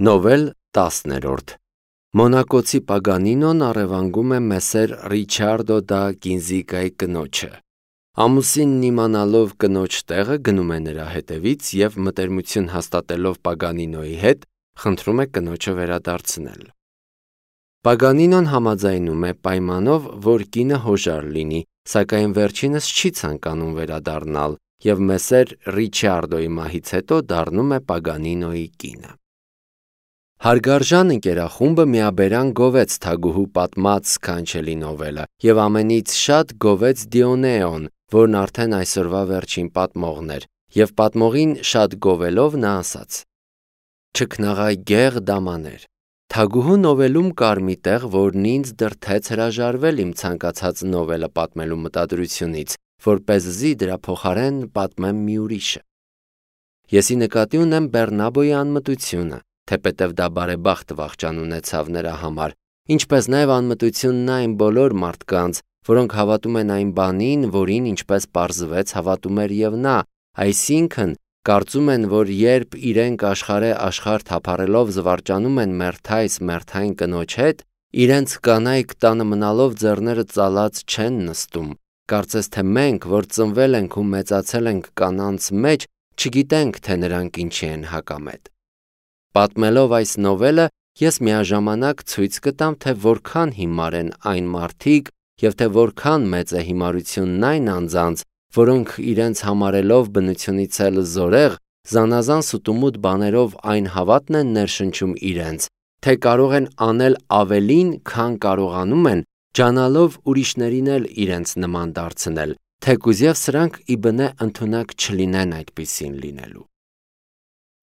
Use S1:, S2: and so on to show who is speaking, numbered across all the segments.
S1: Նովել 10-րդ Մոնակոցի Պագանինոն առևանգում է մեսեր Ռիչարդո դա Կինզիկայի կնոջը։ Ամուսինն իմանալով կնոջ տեղը գնում է նրա հետևից և մտերմություն հաստատելով Պագանինոյի հետ խնդրում է կնոջը վերադարձնել։ Պագանինոն համաձայնում է պայմանով, որ կինը հոժար լինի, սակայն վերջինս չի ցանկանում վերադառնալ և մեսեր Ռիչարդոյի մահից հետո դառնում է Պագանինոյի կինը։ Հարգարժան ընկերախումբը միաբերան գովեց Թագուհու պատմած սքանչելի նովելը և ամենից շատ գովեց Դիոնեոն, որն արդեն այսօրվա վերջին պատմողն էր, և պատմողին շատ գովելով նա ասաց. «Չքնաղայ դամաներ, Թագուհու նովելում կար մի տեղ, որն ինձ դրդեց հրաժարվել իմ ցանկացած նովելը պատմելու մտադրությունից, որպեսզի դրա փոխարեն պատմեմ մի ուրիշը։ Եսի նկատի ունեմ Բեռնաբոյի անմտությունը, թեպետև դա բարեբախտ վախճան ունեցավ նրա համար, ինչպես նաև անմտությունն այն բոլոր մարդկանց, որոնք հավատում են այն բանին, որին ինչպես պարզվեց հավատում էր և նա, այսինքն կարծում են, որ երբ իրենք աշխարհ թափառելով զվարճանում են մերթային կնոջ հետ, իրենց կանայք տանը մնալով ձեռները ծալած չեն նստում, կարծես թե մենք, որ ծնվել ենք ու մեծացել ենք կանանց մեջ, չգիտենք, թե նրանք ինչի են հակամետ։ Պատմելով այս նովելը, ես միաժամանակ ցույց կտամ, թե որքան հիմար են այն մարդիկ և թե որքան մեծ է հիմարությունն այն անձանց, որոնք իրենց համարելով բնությունից էլ զորեղ, զանազան սուտումուտ բաներով այն հավատն են ներշնչում իրենց, թե կարող են անել ավելին, քան կարողանում են, ջանալով ուրիշներին էլ իրենց նման դարձնել, թեկուզև սրանք իբնե ընդունակ չլինեն այդպիսին լինելու։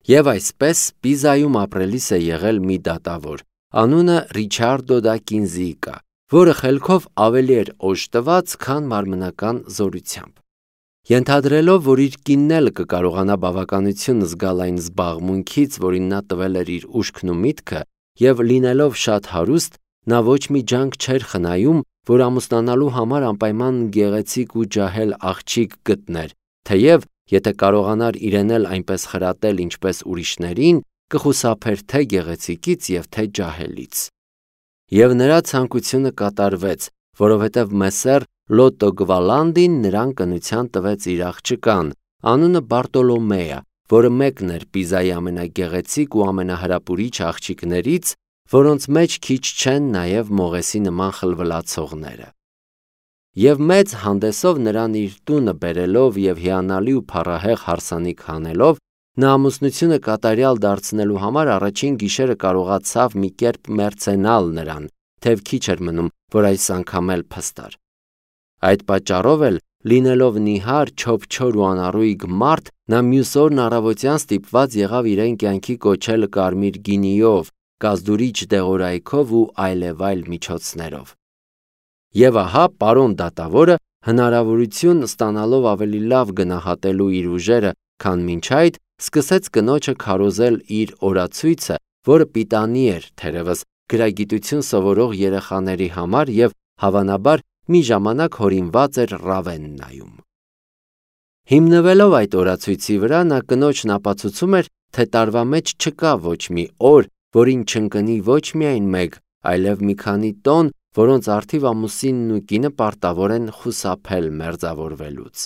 S1: Եվ այսպես Պիզայում ապրելիս է եղել մի դատավոր, անունը Ռիչարդո դա Կինզիկա, որը խելքով ավելի էր օժտված, քան մարմնական զորությամբ։ Ենթադրելով, որ իր կինն էլ կկարողանա բավականություն զգալ այն զբաղմունքից, որին նա տվել էր իր ուշքն ու միտքը, և լինելով շատ հարուստ, նա ոչ մի ջանք չէր խնայում, որ ամուսնանալու համար անպայման գեղեցիկ ու ջահել աղջիկ գտներ, թեև եթե կարողանար իրեն էլ այնպես խրատել, ինչպես ուրիշներին, կխուսափեր թե գեղեցիկից և թե ջահելից։ Եվ նրա ցանկությունը կատարվեց, որովհետև մեսեր Լոտո Գվալանդին նրան կնության տվեց իր աղջկան, անունը Բարտոլոմեա, որը մեկն էր Պիզայի ամենագեղեցիկ ու ամենահրապուրիչ աղջիկներից, որոնց մեջ քիչ չեն նաև Մողեսի նման խլվլացողները։ Եվ մեծ հանդեսով նրան իր տունը բերելով և հիանալի ու փառահեղ հարսանիք հանելով, նա ամուսնությունը կատարյալ դարձնելու համար առաջին գիշերը կարողացավ մի կերպ մերձենալ նրան, թեև քիչ էր մնում, որ այս անգամ էլ փստար։ Այդ պատճառով էլ, լինելով նիհար, չոփչոր ու անառույգ մարդ, նա մյուս օրն առավոտյան ստիպված եղավ իրեն կյանքի կոչել կարմիր գինիով, կազդուրիչ դեղորայքով ու այլևայլ միջոցներով։ Եվ ահա պարոն դատավորը, հնարավորություն ստանալով ավելի լավ գնահատելու իր ուժերը, քան մինչ այդ, սկսեց կնոջը քարոզել իր օրացույցը, որը պիտանի էր, թերևս, գրագիտություն սովորող երեխաների համար և, հավանաբար, մի ժամանակ հորինված էր Ռավեննայում։ Հիմնվելով այդ օրացույցի վրա, նա կնոջն ապացուցում էր, թե տարվա մեջ չկա ոչ մի օր, որին չընկնի ոչ միայն մեկ, այլև մի քանի տոն, որոնց առթիվ ամուսինն ու կինը պարտավոր են խուսափել մերձավորվելուց։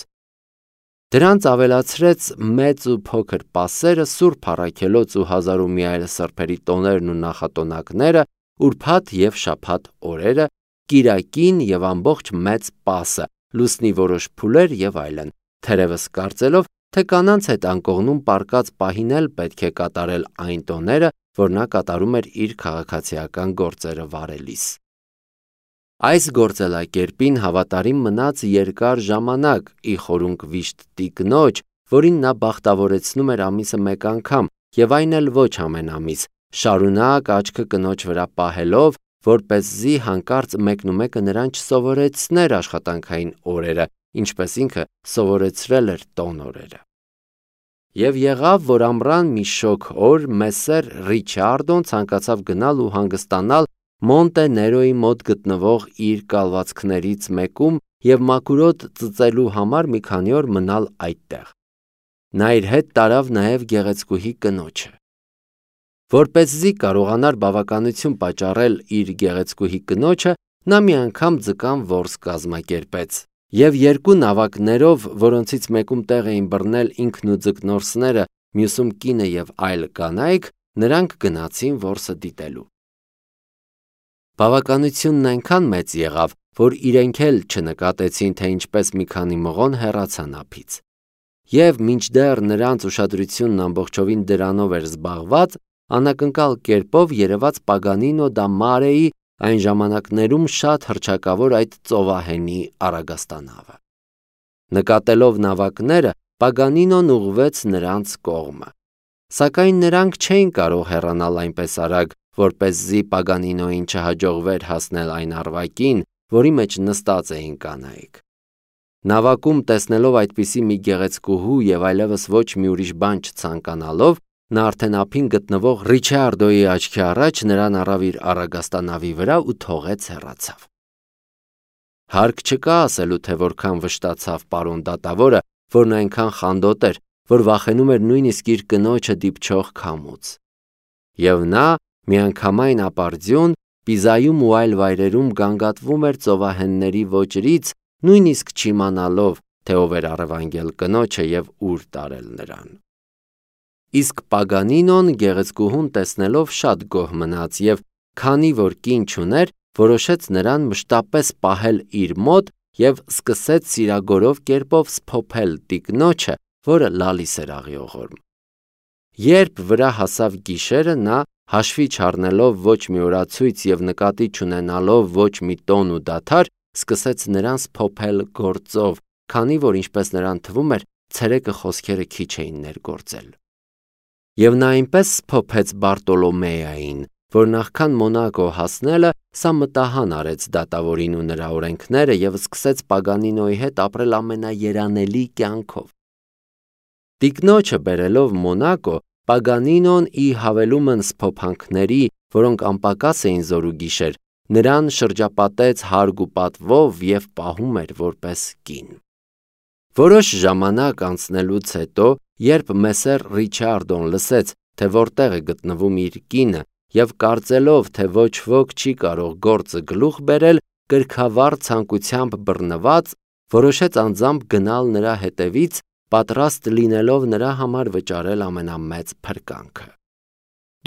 S1: Դրանց ավելացրեց մեծ ու փոքր պասերը, Սուրբ առաքելոց ու հազար ու մի այլ սրբերի տոներն ու նախատոնակները, ուրբաթ և շաբաթ օրերը, կիրակին և ամբողջ մեծ պասը, լուսնի որոշ փուլեր և այլն, թերևս կարծելով, թե կանանց հետ անկողնում պառկած պահին էլ պետք է կատարել այն տոները, որ նա կատարում էր իր քաղաքացիական գործերը վարելիս։ Այս գործելակերպին հավատարիմ մնաց երկար ժամանակ, ի խորունկ վիշտ տիկնոջ, որին նա բախտավորեցնում էր ամիսը մեկ անգամ, և այն էլ ոչ ամեն ամիս, շարունակ աչքը կնոջ վրա պահելով, որպեսզի հանկարծ մեկնումեկը նրան չսովորեցներ աշխատանքային օրերը, ինչպես ինքը սովորեցրել էր տոն օրերը։ Եվ եղավ, որ ամռան մի շոգ օր մեսեր Ռիչարդոն ցանկացավ գնալ ու հանգստանալ Մոնտե Ներոյի մոտ գտնվող իր կալվածքներից մեկում և մաքուրոտ ծծելու համար մի քանի օր մնալ այդտեղ։ Նա իր հետ տարավ նաև գեղեցկուհի կնոջը։ Որպեսզի կարողանար բավականություն պատճառել իր գեղեցկուհի կնոջը, նա մի անգամ ձկան որս կազմակերպեց, և երկու նավակներով, որոնցից մեկում տեղ էին բռնել ինքն ու ձկնորսները, մյուսում կինը և այլ կանայք, նրանք գնացին որսը դիտելու։ Բավականությունն այնքան մեծ եղավ, որ իրենք էլ չնկատեցին, թե ինչպես մի քանի մղոն հեռացան ափից։ Եվ մինչդեռ նրանց ուշադրությունն ամբողջովին դրանով էր զբաղված, անակնկալ կերպով երևաց Պագանինո դա Մարեի այն ժամանակներում շատ հռչակավոր այդ ծովահենի առագաստանավը։ Նկատելով նավակները, Պագանինոն ուղղվեց նրանց կողմը։ Սակայն նրանք չէին կարող հեռանալ այնպես արագ, որպեսզի Պագանինոյին չհաջողվեր հասնել այն առվակին, որի մեջ նստած էին կանայք։ Նավակում տեսնելով այդպիսի մի գեղեցկուհու և այլևս ոչ մի ուրիշ բան չցանկանալով, նա արդեն ափին գտնվող Ռիչարդոյի աչքի առաջ նրան առավ իր առագաստանավի վրա ու թողեց հեռացավ։ Հարկ չկա ասելու, թե որքան վշտացավ պարոն դատավորը, որն այնքան խանդոտ էր, որ վախենում էր նույնիսկ իր կնոջը դիպչող քամուց։ Եվ նա միանգամայն ապարդյուն Պիզայում ու այլ վայրերում գանգատվում էր ծովահենների ոճրից, նույնիսկ չիմանալով, թե ով էր առևանգել կնոջը և ուր տարել նրան։ Իսկ Պագանինոն գեղեցկուհուն տեսնելով շատ գոհ մնաց և, քանի որ կին չուներ, որոշեց նրան մշտապես պահել իր մոտ և սկսեց սիրագորով կերպով սփոփել տիկնոջը, որը լալիս էր աղիողորմ։ Երբ վրա հասավ գիշերը, նա, հաշվի չառնելով ոչ մի օրացույց և նկատի չունենալով ոչ մի տոն ու դադար, սկսեց նրան սփոփել գործով, քանի որ, ինչպես նրան թվում էր, ցերեկը խոսքերը քիչ էին ներգործել։ Եվ նա այնպես սփոփեց Բարտոլոմեային, որ նախքան Մոնակո հասնելը, սա մտահան արեց դատավորին ու նրա օրենքները և սկսեց Պագանինոյի հետ ապրել ամենաերանելի կյանքով։ Տիկնոջը բերելով Մոնակո, Պագանինոն ի հավելումն սփոփանքների, որոնք անպակաս էին զորուգիշեր, նրան շրջապատեց հարգ ու պատվով և պահում էր որպես կին։ Որոշ ժամանակ անցնելուց հետո, երբ Մեսսեր Ռիչարդոն լսեց, թե որտեղ է գտնվում իր կինը, և կարծելով, թե ոչ ոք չի կարող գործը գլուխ բերել, կրքավառ ցանկությամբ բռնված, որոշեց անձամբ գնալ նրա հետևից, պատրաստ լինելով նրա համար վճարել ամենամեծ փրկանքը։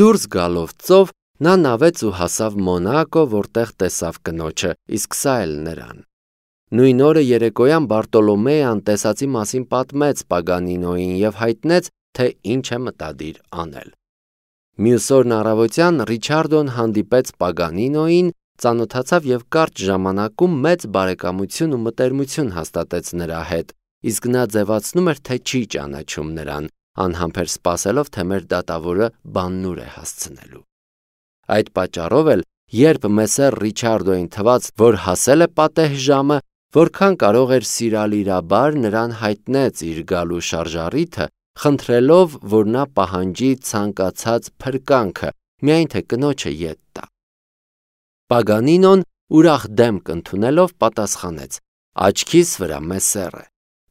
S1: Դուրս գալով ծով, նա նավեց ու հասավ Մոնակո, որտեղ տեսավ կնոջը, իսկ սա էլ նրան։ Նույն օրը երեկոյան Բարտոլոմեան տեսածի մասին պատմեց Պագանինոյին և հայտնեց, թե ինչ է մտադիր անել։ Մյուս օրն առավոտյան Ռիչարդոն հանդիպեց Պագանինոյին, ծանոթացավ և կարճ ժամանակում մեծ բարեկամություն ու մտերմություն հաստատեց նրա հետ, իսկ նա ձևացնում էր, թե չի ճանաչում նրան, անհամբեր սպասելով, թե մեր դատավորը բաննուր է հասցնելու։ Այդ պատճառով էլ, երբ Մեսսեր Ռիչարդոյին թվաց, որ հասել է պատեհ ժամը, որքան կարող էր սիրալիրաբար նրան հայտնեց իր գալու շարժառիթը, խնդրելով, որ նա պահանջի ցանկացած փրկանքը, միայն թե կնոջը ետ տա։ Պագանինոն ուրախ դեմք ընդունելով պատասխանեց. «Աչքիս վրա, մեսսերը,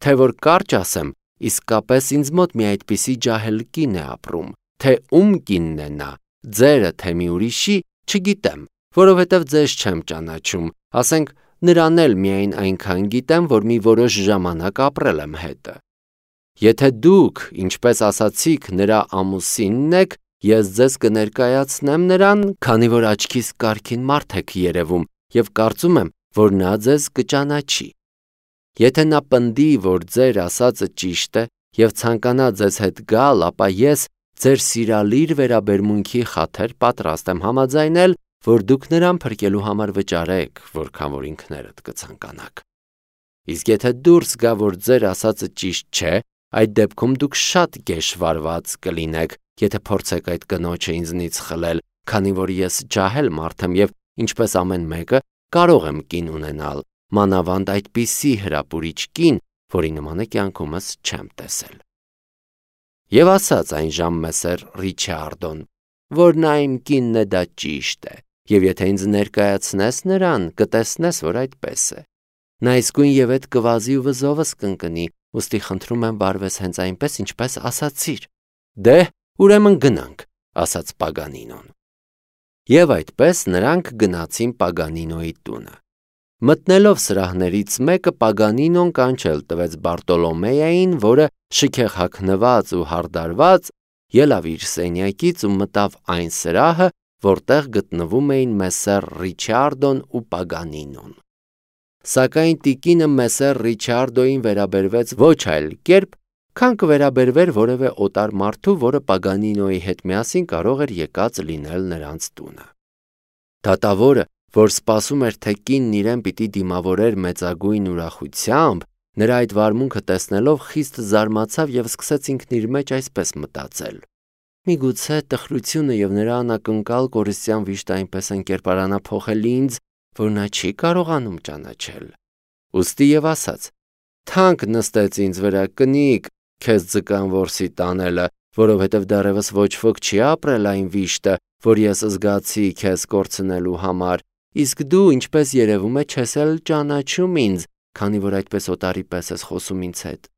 S1: թե որ կարճ ասեմ, իսկապես ինձ մոտ մի այդպիսի ջահել կին է ապրում, թե ում կինն է նա, ձերը թե մի ուրիշի, չգիտեմ, որովհետև ձեզ չեմ ճանաչում, ասենք նրան էլ միայն այնքան գիտեմ, որ մի որոշ ժամանակ ապրել եմ հետը։ Եթե դուք, ինչպես ասացիք, նրա ամուսինն եք, ես ձեզ կներկայացնեմ նրան, քանի որ աչքիս կարգին մարդ եք երևում և կարծում եմ, որ նա ձեզ կճանաչի։ Եթե նա պնդի, որ ձեր ասածը ճիշտ է և ցանկանա ձեզ հետ գալ, ապա ես ձեր սիրալիր վերաբերմունքի խաթր պատրաստ եմ համաձայնել, որ դուք նրան փրկելու համար վճարեք, որքան որ ինքներդ կցանկանաք։ Իսկ եթե դուրս գա, որ ձեր ասածը ճիշտ չէ, այդ դեպքում դուք շատ գեշվարված կլինեք, եթե փորձեք այդ կնոջը ինձնից խլել, քանի որ ես ջահել մարդ եմ և, ինչպես ամեն մեկը, կարող եմ կին ունենալ, մանավանդ այդպիսի հրապուրիչ կին, որի նմանը կյանքումս չեմ տեսել։ Եվ ասաց այն ժամ Մեսսեր Ռիչարդոն, որ նա իմ կինն է, դա ճիշտ է, և եթե ինձ ներկայացնես նրան, կտեսնես, որ այդպես է։ Նա իսկույն և այդ կվազի ու վզովս կընկնի, ուստի խնդրում եմ վարվես հենց այնպես, ինչպես ասացիր։ Դե, ուրեմն գնանք, ասաց Պագանինոն։ Եվ այդպես նրանք գնացին Պագանինոյի տունը։ Մտնելով սրահներից մեկը Պագանինոն կանչել տվեց Բարտոլոմեյային, որը շքեղ հագնված ու հարդարված ելավ իր սենյակից ու մտավ այն սրահը, որտեղ գտնվում էին Մեսսեր Ռիչարդոն ու Պագանինոն։ Սակայն տիկինը Մեսսեր Ռիչարդոյին վերաբերվեց ոչ այլ կերպ, քան կվերաբերվեր որևէ օտար մարդու, որը Պագանինոյի հետ միասին կարող էր եկած լինել նրանց տունը։ Դատավորը, որ սպասում էր, թե կինն իրեն պիտի դիմավորեր մեծագույն ուրախությամբ, նրա այդ վարմունքը տեսնելով խիստ զարմացավ և սկսեց ինքն իր մեջ այսպես մտածել. միգուցե տխրությունը և նրա անակնկալ կորստյան վիշտը այնպես են կերպարանափոխել ինձ, որ նա չի կարողանում ճանաչել։ Ուստի և ասաց. թանկ նստեց ինձ վրա կնիկ քեզ ձկան որսի տանելը, որովհետև դեռևս ոչ ոք չի ապրել այն վիշտը, որ ես զգացի քեզ կորցնելու համար, իսկ դու, ինչպես երևում է, չես էլ ճանաչում ինձ, քանի որ այդպես օտարի պես ես խոսում ինձ հետ։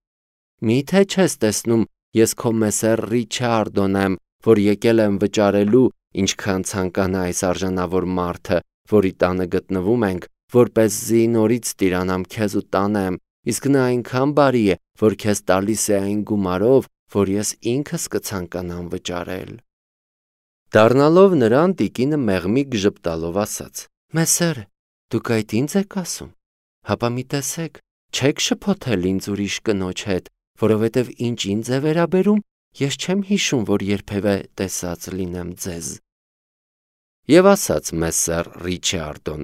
S1: Մի՞թե չես տեսնում, ես քո Մեսսեր Ռիչարդոն եմ, որ եկել եմ վճարելու, ինչքան ցանկանա այս արժանավոր մարդը, որի տանը գտնվում ենք, որպեսզի նորից տիրանամ քեզ ու տանեմ, իսկ նա այնքան բարի է, որ քեզ տալիս է այն գումարով, որ ես ինքս կցանկանամ վճարել։ Դառնալով նրան, տիկինը մեղմիկ ժպտալով ասաց. Մեսսեր, դուք այդ ինձ եք ասում, հապա մի տեսեք, չեք շփոթել ինձ ուրիշ կնոջ հետ, որովհետև ինչ ինձ է վերաբերում, ես չեմ հիշում, որ երբևէ տեսած լինեմ ձեզ։ Եվ ասաց Մեսսեր Ռիչարդոն.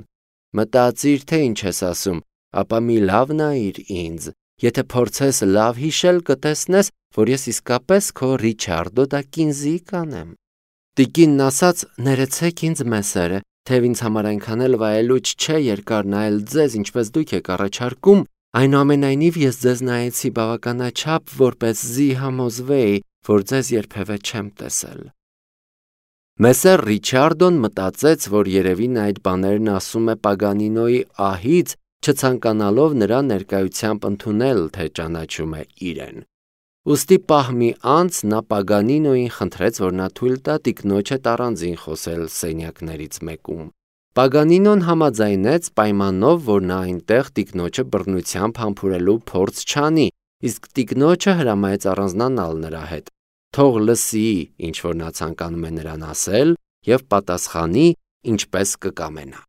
S1: մտածիր, թե ինչ ես ասում, ապա մի լավ նայիր ինձ, եթե փորձես լավ հիշել, կտեսնես, որ ես իսկապես քո Ռիչարդո դա կինզիկան եմ։ Տիկինն ասաց. ներեցեք ինձ Մեսսերը, թեև ինձ համար այնքան էլ վայելուչ չէ երկար նայել ձեզ, ինչպես դուք եք առաջարկում, այնուամենայնիվ ես ձեզ նայեցի բավականաչափ, որպեսզի համոզվեի, որ ձեզ երբևէ չեմ տեսել։ Մեսսեր Ռիչարդոն մտածեց, որ երևի նա այդ բաներն ասում է Պագանինոյի ահից, չցանկանալով նրա ներկայությամբ ընդունել, թե ճանաչում է իրեն։ Ուստի պահ մի անց նա Պագանինոյին խնդրեց, որ նա թույլ տա տիկնոջ հետ առանձին խոսել սենյակներից մեկում։ Պագանինոն համաձայնեց պայմանով, որ նա այնտեղ տիկնոջը բռնությամբ համբուրելու փորձ չանի, իսկ տիկնոջը հրամայեց առանձնանալ նրա հետ, թող լսի, ինչ որ նա ցանկանում է նրան ասել, և պատասխանի, ինչպես կկամենա։